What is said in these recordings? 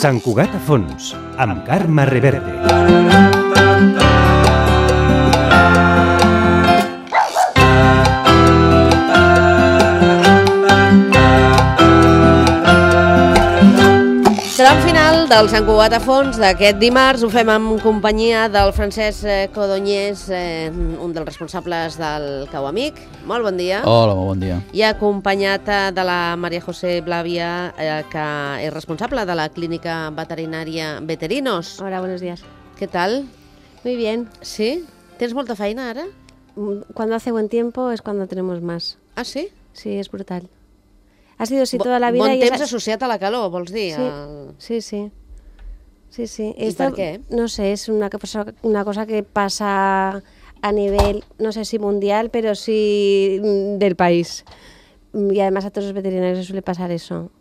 Sant Cugat a fons, amb Carme Reverte. Tram final del Sant Cugat a fons d'aquest dimarts. Ho fem en companyia del Francesc Codonyés, un dels responsables del Cau Amic. Molt bon dia. Hola, molt bon dia. I acompanyat de la María José Blavia, que és responsable de la clínica veterinària Veterinos. Hola, buenos días. ¿Qué tal? Muy bien. ¿Sí? ¿Tienes molta feina ara? Cuando hace buen tiempo es cuando tenemos más. Ah, sí? Sí, es brutal. Ha sido así toda la vida. Bon temps associat a la calor, vols dir? Sí, sí. Sí, sí. ¿Y por qué? No sé, es una cosa que pasa a nivel, no sé si mundial, pero sí del país. Y además a todos los veterinarios les suele pasar eso.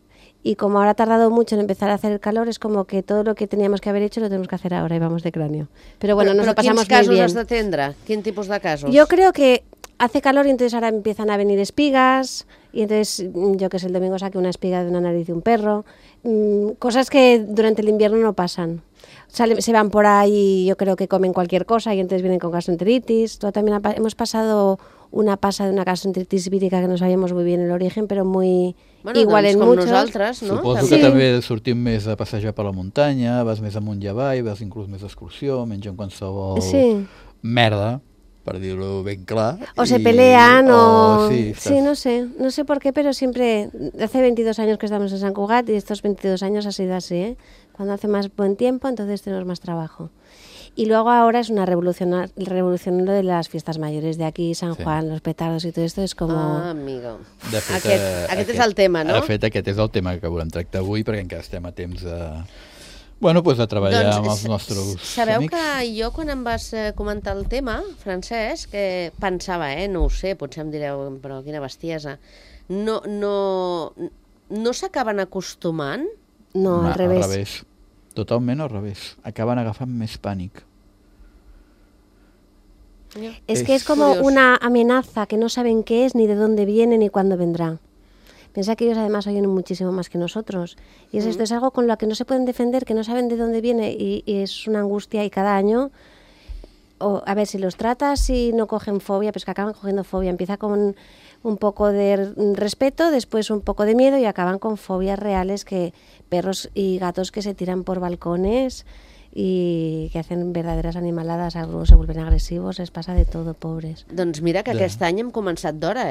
Y como ahora ha tardado mucho en empezar a hacer el calor, es como que todo lo que teníamos que haber hecho lo tenemos que hacer ahora y vamos de cráneo. Pero bueno, nos lo pasamos muy bien. ¿Quins casos has d'atendre? Quin tipus de casos? Yo creo que hace calor y entonces ahora empiezan a venir espigas y entonces yo que sé, el domingo saqué una espiga de una nariz de un perro, cosas que durante el invierno no pasan. Se van por ahí y yo creo que comen cualquier cosa y entonces vienen con gastroenteritis. También hemos pasado una pasa de una gastroenteritis vírica que no sabíamos muy bien el origen, però muy igual en muchos. Nosaltres, no? Suposo que també sortim més a passejar per la muntanya, vas més amunt i avall, vas inclús més d'excursió, mengen qualsevol merda, per dir-ho ben clar. O se pelean o... Sí, no sé por qué, pero siempre, hace 22 años que estamos en Sant Cugat y estos 22 años ha sido así, ¿eh? Cuando hace más buen tiempo, entonces tenemos más trabajo. Y luego ahora es una revolución lo de las fiestas mayores de aquí, San Juan, los petardos y tot esto és com... Ah, amigo. De fet, aquest és el tema, no? De fet, aquest és el tema que volem tractar avui, perquè encara estem a temps de... Bueno, doncs de treballar amb els nostres amics. Sabeu que jo, quan em vas comentar el tema, Francesc, que pensava, no ho sé, potser em direu, però quina bestiesa, no s'acaben acostumant? No, al revés. Al revés. Totalment al revés. Acaban agafant més pànic. Es que es como una amenaza que no saben qué es, ni de dónde viene, ni cuándo vendrá. Piensa que ellos además oyen muchísimo más que nosotros. Y esto es algo con lo que no se pueden defender, que no saben de dónde viene y es una angustia y cada año... a ver, si los tratas y no cogen fobia, pues que acaban cogiendo fobia. Empieza con un poco de respeto, después un poco de miedo y acaban con fobias reales, que perros y gatos que se tiran por balcones y que hacen verdaderas animaladas, algunos se vuelven agresivos, les passa de todo, pobres. Doncs mira que aquest any hem començat d'hora,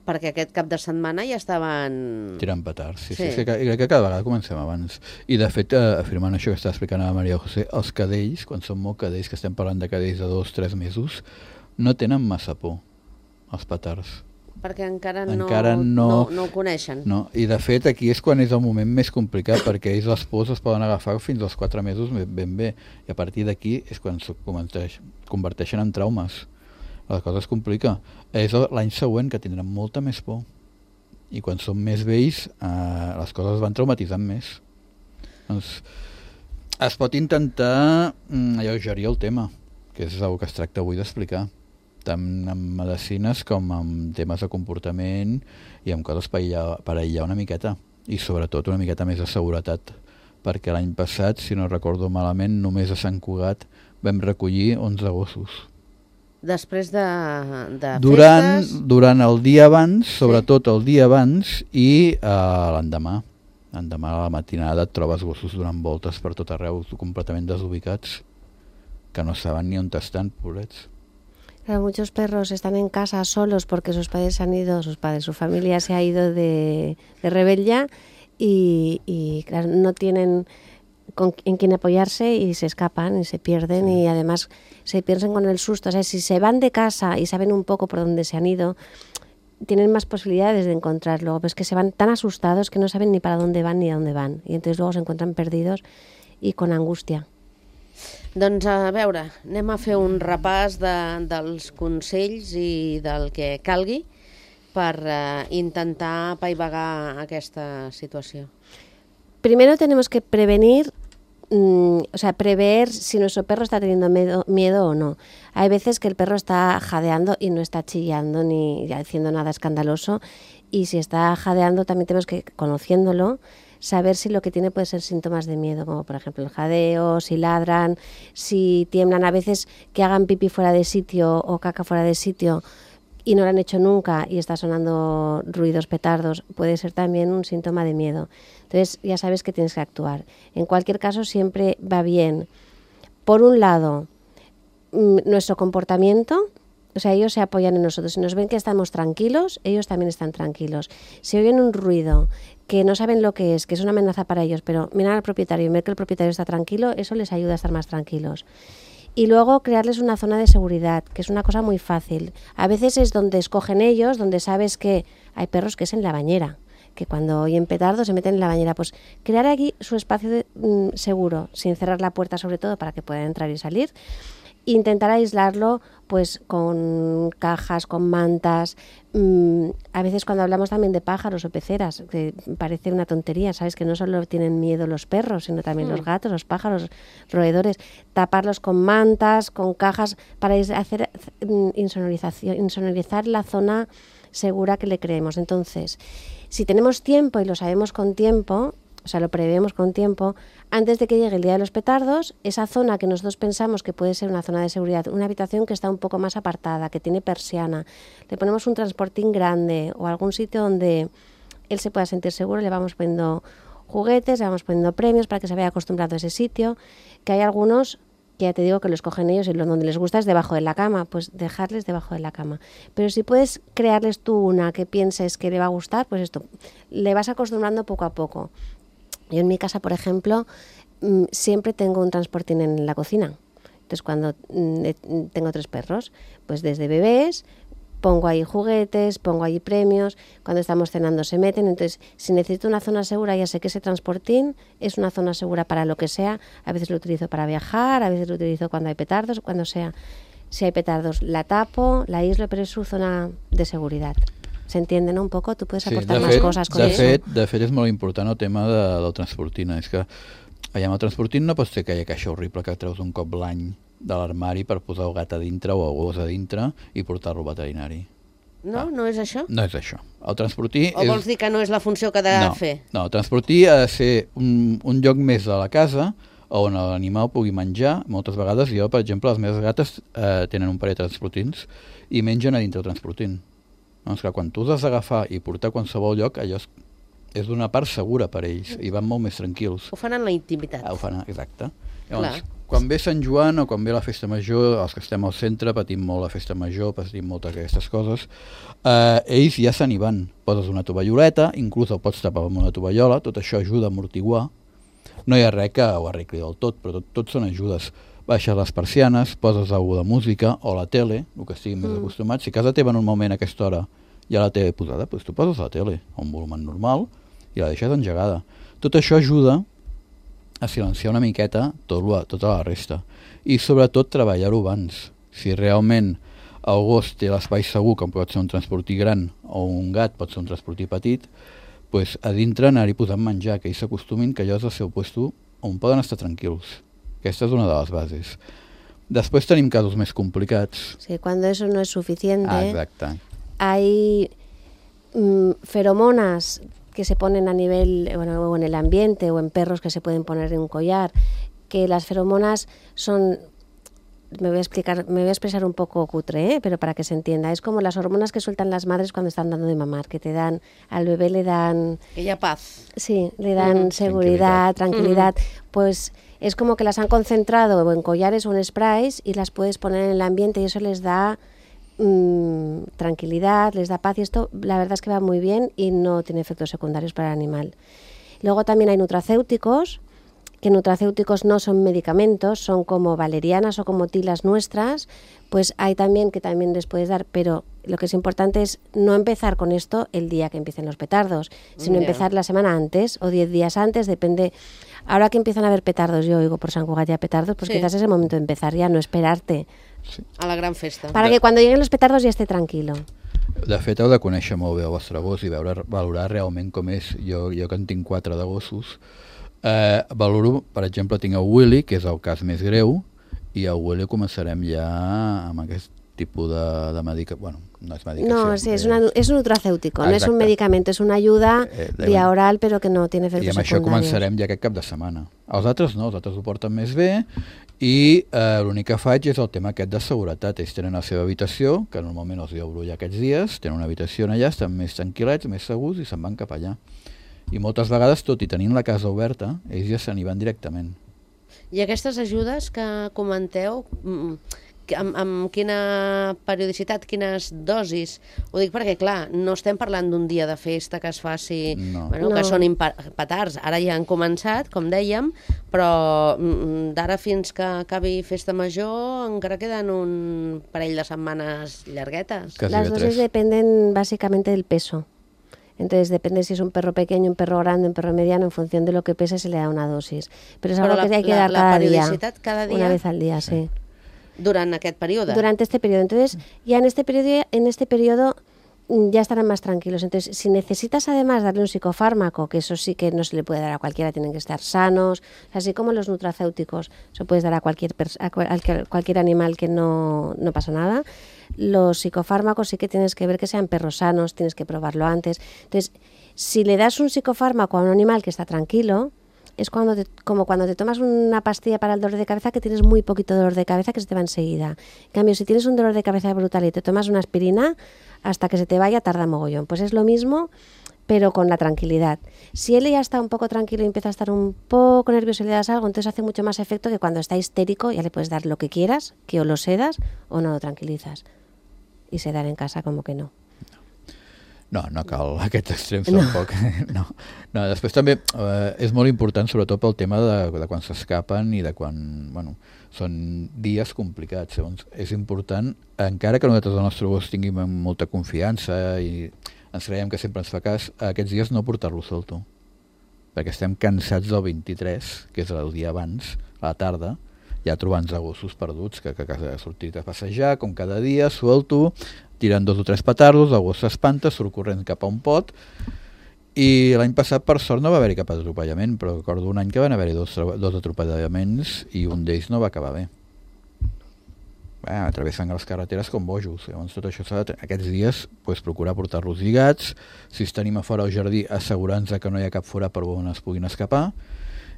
perquè aquest cap de setmana ja estaven... Tirant petards, sí. Crec que cada vegada comencem abans. I de fet, afirmant això que està explicant a María José, els cadells, quan són molt cadells, que estem parlant de cadells de 2 o 3 mesos, no tenen massa por, els petards. Perquè encara no ho coneixen. No, i de fet aquí és quan és el moment més complicat, perquè ells les pors es poden agafar fins als 4 mesos ben bé, i a partir d'aquí és quan es converteixen en traumes. La cosa es complica. És l'any següent que tindran molta més por. I quan són més vells, les coses van traumatitzant més. Doncs es pot intentar alleugerir el tema, que és el que es tracta avui d'explicar, tant amb medicines com amb temes de comportament i amb coses per aïllar una miqueta. I sobretot una miqueta més de seguretat, perquè l'any passat, si no recordo malament, només a Sant Cugat vam recollir 11 gossos. Després de festes? Durant el dia abans, sobretot el dia abans, i l'endemà. L'endemà a la matinada et trobes gossos donant voltes per tot arreu, completament desubicats, que no saben ni on estan, pobrets. Claro, muchos perros están en casa solos porque sus padres se han ido, su familia se ha ido de rebella y claro, no tienen en quien apoyarse y se escapan y se pierden y además se pierden con el susto. O sea, si se van de casa y saben un poco por dónde se han ido, tienen más posibilidades de encontrarlo. Pues que se van tan asustados que no saben ni para dónde van ni a dónde van. Y entonces luego se encuentran perdidos y con angustia. Doncs a veure, anem a fer un repàs dels consells i del que calgui per intentar apaivagar aquesta situació. Primero tenemos que prevenir, prever si nuestro perro está teniendo miedo o no. Hay veces que el perro está jadeando y no está chillando ni haciendo nada escandaloso, y si está jadeando también tenemos que, conociéndolo, saber si lo que tiene puede ser síntomas de miedo, como por ejemplo el jadeo, si ladran, si tiemblan, a veces que hagan pipí fuera de sitio o caca fuera de sitio y no lo han hecho nunca y está sonando ruidos, petardos, puede ser también un síntoma de miedo. Entonces ya sabes que tienes que actuar. En cualquier caso siempre va bien, por un lado, nuestro comportamiento. O sea, ellos se apoyan en nosotros. Si nos ven que estamos tranquilos, ellos también están tranquilos. Si oyen un ruido que no saben lo que es una amenaza para ellos, pero miran al propietario y ven que el propietario está tranquilo, eso les ayuda a estar más tranquilos. Y luego crearles una zona de seguridad, que es una cosa muy fácil. A veces es donde escogen ellos, donde sabes que hay perros que es en la bañera, que cuando oyen petardos se meten en la bañera. Pues crear aquí su espacio seguro, sin cerrar la puerta sobre todo para que puedan entrar y salir. Intentar aislarlo pues con cajas, con mantas. A veces cuando hablamos también de pájaros o peceras, que parece una tontería, sabes que no solo tienen miedo los perros, sino también los gatos, los pájaros, roedores. Taparlos con mantas, con cajas, para hacer insonorizar la zona segura que le creemos. Entonces, si tenemos tiempo y lo sabemos con tiempo, o sea, lo prevemos con tiempo, antes de que llegue el día de los petardos, esa zona que nosotros pensamos que puede ser una zona de seguridad, una habitación que está un poco más apartada, que tiene persiana, le ponemos un transportín grande o algún sitio donde él se pueda sentir seguro, le vamos poniendo juguetes, le vamos poniendo premios para que se vaya acostumbrado a ese sitio, que hay algunos que ya te digo que lo escogen ellos y donde les gusta es debajo de la cama, pues dejarles debajo de la cama. Pero si puedes crearles tú una que pienses que le va a gustar, pues esto, le vas acostumbrando poco a poco. Yo en mi casa, por ejemplo, siempre tengo un transportín en la cocina. Entonces, cuando tengo 3 perros, pues desde bebés pongo ahí juguetes, pongo ahí premios. Cuando estamos cenando se meten. Entonces, si necesito una zona segura, ya sé que ese transportín es una zona segura para lo que sea. A veces lo utilizo para viajar, a veces lo utilizo cuando hay petardos, cuando sea. Si hay petardos, la tapo, la aíslo, pero es su zona de seguridad. S'entén, no? Un poc? Tu puedes aportar més coses con eso. De fet, és molt important el tema del transportín. És que allà amb el transportín no pots fer aquella caixa horrible que treus un cop l'any de l'armari per posar el gat a dintre o el gos a dintre i portar-lo al veterinari. No? No és això? No és això. El transportí o vols dir que no és la funció que ha de fer? No, el transportí ha de ser un lloc més de la casa on l'animal pugui menjar. Moltes vegades jo, per exemple, les meves gates tenen un parell de transportins i mengen a dintre el transportín. Doncs que quan tu has d'agafar i portar a qualsevol lloc, allò és d'una part segura per ells i van molt més tranquils. Ho fan en la intimitat. Ho fan, exacte. Llavors, quan ve Sant Joan o quan ve la festa major, els que estem al centre patim molt la festa major, patim moltes d'aquestes coses, ells ja se n'hi van. Poses una tovalloleta, inclús el pots tapar amb una tovallola, tot això ajuda a amortiguar. No hi ha res que ho arregli del tot, però tot són ajudes. Baixes les persianes, poses alguna de música o la tele, el que estiguin més acostumats. Si a casa teva en un moment a aquesta hora hi ha la tele posada, doncs tu poses la tele a un volum normal i la deixes engegada. Tot això ajuda a silenciar una miqueta tota la resta. I sobretot treballar-ho abans. Si realment el gos té l'espai segur, com pot ser un transportí gran o un gat pot ser un transportí petit, doncs a dintre anar-hi posant menjar, que ells s'acostumin que allò és el seu puesto on poden estar tranquils. Aquesta és una de les bases. Después tenim casos més complicats. Sí, cuando eso no es suficiente. Exacte. Hay feromonas que se ponen a nivel, o en el ambiente, o en perros que se pueden poner en un collar, que las feromonas son, me voy a expresar un poco cutre, pero para que se entienda, es como las hormonas que sueltan las madres cuando están dando de mamar, que te dan, al bebé le dan... Aquella paz. Sí, le dan seguridad, tranquilidad, pues... Es como que las han concentrado en collares o en sprays y las puedes poner en el ambiente y eso les da tranquilidad, les da paz y esto la verdad es que va muy bien y no tiene efectos secundarios para el animal. Luego también hay nutracéuticos, que nutracéuticos no son medicamentos, son como valerianas o como tilas nuestras, pues hay también que también les puedes dar, pero lo que es importante es no empezar con esto el día que empiecen los petardos, sino empezar la semana antes o 10 días antes, depende. Ahora que empiezan a haver petardos, yo oigo por Sant Cugat ya petardos, pues quizás es el momento de empezar ya, no esperarte. Sí. A la gran festa. Para que cuando lleguen los petardos ya esté tranquilo. De fet, heu de conèixer molt bé el vostre gos i valorar realment com és. Jo que en tinc 4 de gossos, valoro, per exemple, tinc el Willy, que és el cas més greu, i el Willy començarem ja amb aquest tipus de medicament, bueno, no és medicació. No, sí, es un nutracéutico, no es un medicamento, es una ayuda vía oral, però que no tiene efectos secundarios. I amb això començarem ja aquest cap de setmana. Els altres no, els altres ho porten més bé, i l'únic que faig és el tema aquest de seguretat. Ells tenen la seva habitació, que normalment els obro ja aquests dies, tenen una habitació allà, estan més tranquil·lets, més segurs, i se'n van cap allà. I moltes vegades, tot i tenint la casa oberta, ells ja se n'hi van directament. I aquestes ajudes que comenteu, amb quina periodicitat, quines dosis? Ho dic perquè, clar, no estem parlant d'un dia de festa que es faci, que són petards. Ara ja han començat, com dèiem, però d'ara fins que acabi festa major encara queden un parell de setmanes llarguetes. Las dosis dependen básicamente del peso. Entonces depende si es un perro pequeño, un perro grande, un perro mediano, en función de lo que pese se le da una dosis. Pero es algo que hay que dar cada día, una vez al día, sí. Durant aquest període. Durante este periodo. Entonces, ya en este periodo ya estarán más tranquilos. Entonces, si necesitas además darle un psicofármaco, que eso sí que no se le puede dar a cualquiera, tienen que estar sanos, así como los nutracéuticos, se puedes dar a cualquier animal que no pasa nada. Los psicofármacos sí que tienes que ver que sean perros sanos, tienes que probarlo antes. Entonces, si le das un psicofármaco a un animal que está tranquilo, es como cuando te tomas una pastilla para el dolor de cabeza, que tienes muy poquito dolor de cabeza, que se te va enseguida. En cambio, si tienes un dolor de cabeza brutal y te tomas una aspirina, hasta que se te vaya tarda mogollón. Pues es lo mismo, pero con la tranquilidad. Si él ya está un poco tranquilo y empieza a estar un poco nervioso y le das algo, entonces hace mucho más efecto que cuando está histérico, ya le puedes dar lo que quieras, que o lo sedas o no lo tranquilizas. Y sedar en casa como que no. No cal aquest extrem tampoc. No, després també és molt important, sobretot pel tema de quan s'escapen i de quan, són dies complicats. Llavors, és important, encara que nosaltres el nostre gos tinguem molta confiança i ens creiem que sempre ens fa cas, aquests dies no portar-lo solto, perquè estem cansats del 23, que és el dia abans, a la tarda, ja trobant-nos gossos perduts, que ha sortit a passejar, com cada dia, suelto, tirant 2 o 3 petardos, el gos s'espanta, surt corrent cap a un pot, i l'any passat, per sort, no va haver-hi cap atropellament, però recordo un any que van haver-hi 2 atropellaments i un d'ells no va acabar bé. Travessen les carreteres com bojos. Llavors, tot això s'ha de... Aquests dies, procurar portar-los lligats, si tenim a fora al jardí, assegurar-nos que no hi ha cap fora per on es puguin escapar,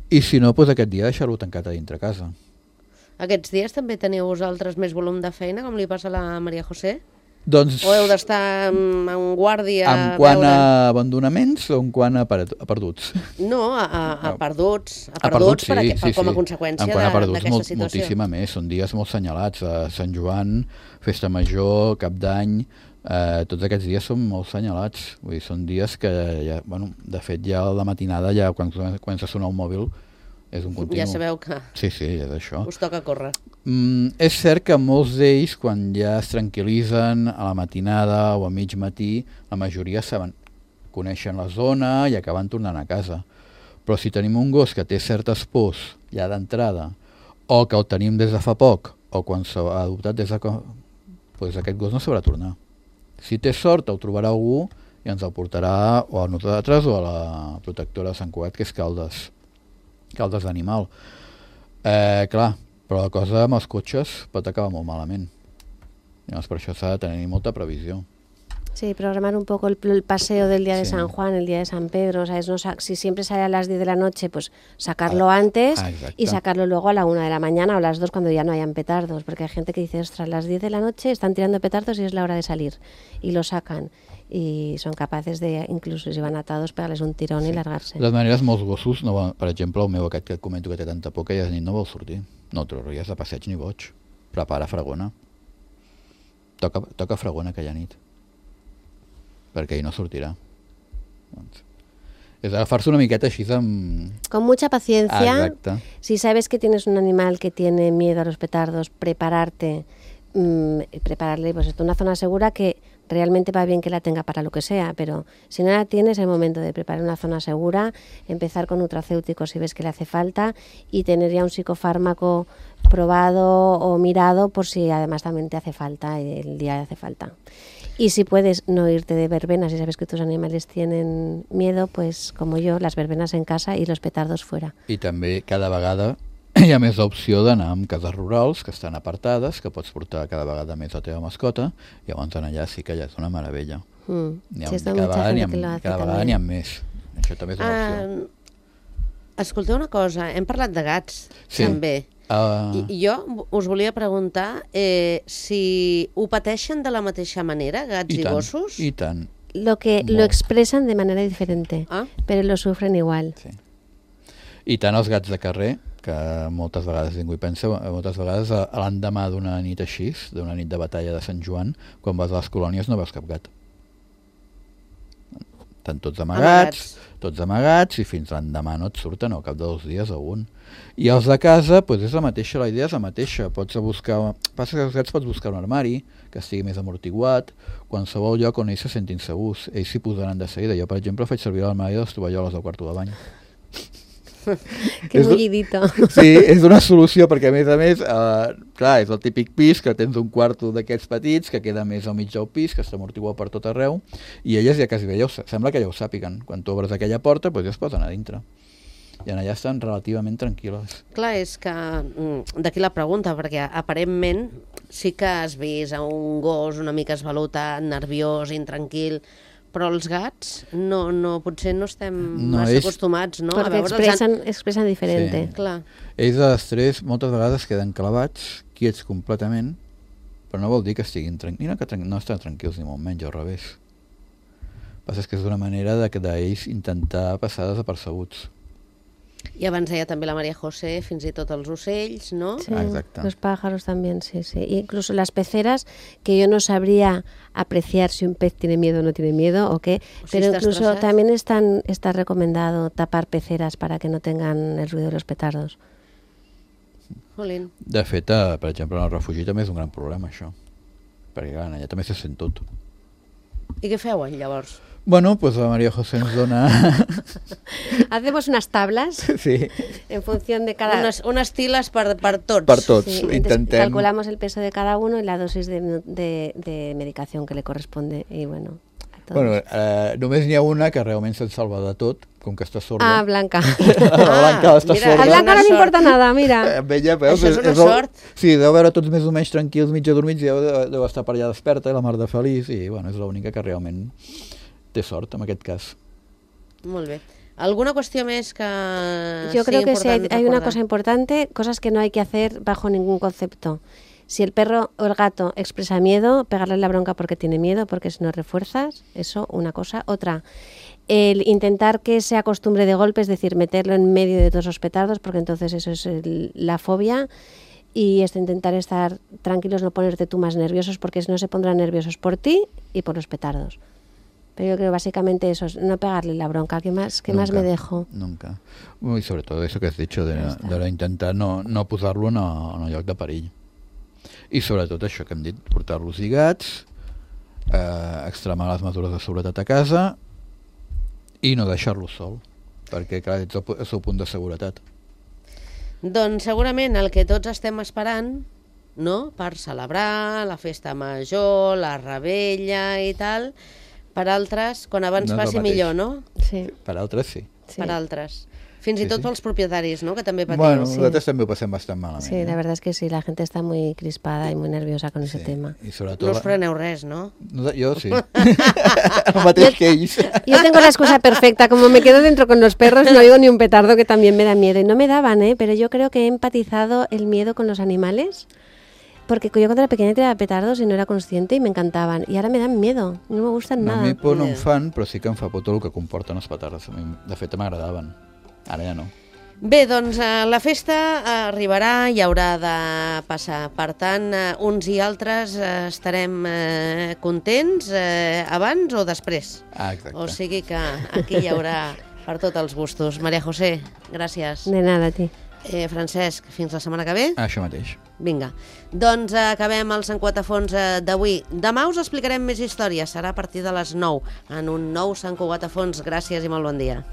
i si no, aquest dia deixar-lo tancat a dintre casa. Aquests dies també teniu vosaltres més volum de feina, com li passa a la Maria José? Doncs, o heu d'estar en guàrdia? En quant a abandonaments o en quant a perduts? No, a perduts. A perduts, sí. Com a conseqüència d'aquesta situació. Moltíssima més. Són dies molt senyalats. Sant Joan, Festa Major, Cap d'Any, tots aquests dies són molt senyalats. Vull dir, són dies que, ja, de fet, ja a la matinada, ja quan comença a sonar el mòbil, és un continu. Ja sabeu que sí, és això. Us toca córrer. És cert que molts d'ells, quan ja es tranquil·litzen a la matinada o a mig matí, la majoria coneixen la zona i acaben tornant a casa. Però si tenim un gos que té certes pors ja d'entrada, o que el tenim des de fa poc, o quan s'ha adoptat des de... doncs aquest gos no sabrà tornar. Si té sort, el trobarà algú i ens el portarà o a nosaltres o a la protectora de Sant Cugat, que és Caldes d'Animal. Clar, però la cosa amb els cotxes pot acabar molt malament. Llavors, per això s'ha de tenir molta previsió. Sí, programar un poco el paseo del día de San Juan, el día de San Pedro, ¿sabes? No, si siempre sale a las 10 de la noche, pues sacarlo antes y sacarlo luego a la 1 de la mañana o a las 2 cuando ya no hayan petardos, porque hay gente que dice, ostras, a las 10 de la noche están tirando petardos y es la hora de salir, y lo sacan. I són capaces de, inclús si van atados, pegar-les un tirón i largar-se. De totes maneres, molts gossos, per exemple, el meu aquest que et comento que té tanta por que ja de nit no vol sortir. No trauries de passeig ni boig. Prepara fregona. Toca fregona aquella nit. Perquè ell no sortirà. Doncs, és agafar-se una miqueta així amb... Con mucha paciencia. Exacte. Si sabes que tienes un animal que tiene miedo a los petardos, prepararle pues una zona segura que realmente va bien que la tenga para lo que sea, pero si no la tienes, es el momento de preparar una zona segura, empezar con nutracéuticos si ves que le hace falta y tener ya un psicofármaco probado o mirado por si además también te hace falta, el día le hace falta. Y si puedes no irte de verbenas, si sabes que tus animales tienen miedo, pues como yo, las verbenas en casa y los petardos fuera. I també cada vegada hi ha més l'opció d'anar amb cases rurals que estan apartades, que pots portar cada vegada més la teva mascota, i llavors allà sí que ja és una meravella. Cada vegada n'hi ha més. Això també és una opció. Escolteu una cosa, hem parlat de gats, també. I jo us volia preguntar si ho pateixen de la mateixa manera, gats i gossos? I tant. Lo expresan de manera diferente, pero lo sufren igual. Sí. I tant els gats de carrer, que moltes vegades ningú hi pensa, moltes vegades l'endemà d'una nit així, d'una nit de batalla de Sant Joan, quan vas a les colònies no veus cap gat. Estan tots amagats, i fins l'endemà no et surten, al cap de 2 dies o un. I els de casa, doncs és la mateixa, la idea és la mateixa. Passa que els gats pots buscar un armari que estigui més amortiguat, qualsevol lloc on ells se sentin segurs. Ells s'hi posaran de seguida. Jo, per exemple, faig servir l'armari de les tovalloles del quarto de bany. Que bullidito. Sí, és una solució perquè a més, clar, és el típic pis que tens un quarto d'aquests petits que queda més al mig del pis, que està amortiguat per tot arreu, i elles ja quasi sembla que ja ho sàpiguen. Quan tu obres aquella porta, doncs ja es posen a dintre. I allà estan relativament tranquil·les. Clar, és que d'aquí la pregunta, perquè aparentment sí que has vist a un gos una mica esvalotat, nerviós, intranquil, però els gats potser no estem massa acostumats, no? Perquè expressen diferent. Sí. Clar. Ells a l'estrès moltes vegades queden clavats, quiets completament, però no vol dir que estiguin tranquils, no estan tranquils ni molt menys, al revés. El que passa és que és una manera d'ells intentar passar desapercebuts. I abans deia també la María José, fins i tot els ocells, ¿no? Sí, exacte. Los pájaros también, sí. Incluso las peceras, que yo no sabría apreciar si un pez tiene miedo o no tiene miedo, o qué, pero incluso también está recomendado tapar peceras para que no tengan el ruido de los petardos. Jolín. De fet, per exemple, en el refugi també és un gran problema, això. Perquè, clar, allà també se sent tot. I què feu, llavors? Bueno, pues la María José nos dona... Hacemos unas tablas en función de cada... Unes tiles per tots. Per tots, sí, intentem... Calculamos el peso de cada uno y la dosis de medicación que le corresponde. Y bueno, només n'hi ha una que realment se'n salva de tot, com que està sorda. Ah, Blanca. Blanca està sorda. A Blanca no li importa nada, mira. Ella, veus, això és una sort. Sí, deu veure tots més o menys tranquils, mig adormits, i deu estar per allà desperta, i la mar de feliç, i bueno, és l'única que realment té sort en aquest cas. Molt bé. ¿Alguna cuestión más que yo creo que sí, hay una cosa importante, cosas que no hay que hacer bajo ningún concepto. Si el perro o el gato expresa miedo, pegarle la bronca porque tiene miedo, porque si no refuerzas, eso, una cosa. Otra, el intentar que se acostumbre de golpe, es decir, meterlo en medio de todos los petardos, porque entonces eso es la fobia. Y intentar estar tranquilos, no ponerte tú más nerviosos, porque si no se pondrán nerviosos por ti y por los petardos. Pero yo creo básicamente eso, no pegarle la bronca. ¿Qué más me dejo? Nunca. Y sobre todo eso que has dicho, de intentar no posar-lo en un lloc de perill. I sobretot això que hem dit, portar-los lligats, extremar les mesures de seguretat a casa i no deixar-los sol, perquè clar, ets el seu punt de seguretat. Doncs segurament el que tots estem esperant, no?, per celebrar la festa major, la rebella i tal, per altres, quan abans passi millor, no? Sí. Per altres sí. Per altres. Fins i tot pels propietaris, ¿no?, que també patiu. Bueno, nosaltres també ho passem bastant malament. Sí, la verdad es que sí, la gente está muy crispada y muy nerviosa con ese tema. I sobretot... No us freneu res, ¿no? Jo sí. El mateix que ells. Yo tengo la excusa perfecta, como me quedo dentro con los perros, no oigo ni un petardo, que también me da miedo. Y no me daban, pero yo creo que he empatizado el miedo con los animales. Porque yo cuando era pequeña tiraba petardos y no era consciente y me encantaven. I ara me dan miedo, no me gustan nada. A mi por no em fan, però sí que em fa por tot el que comporten els petards. De fet, m'agradaven. Ara ja no. Bé, doncs la festa arribarà i haurà de passar. Per tant, uns i altres estarem contents abans o després. Ah, exacte. O sigui que aquí hi haurà per tots els gustos. María José, gràcies. De nada, a ti. Francesc, fins la setmana que ve. Això mateix. Vinga, doncs acabem el Sant Cugatafons d'avui. Demà us explicarem més històries, serà a partir de les 9 en un nou Sant Cugatafons. Gràcies i molt bon dia.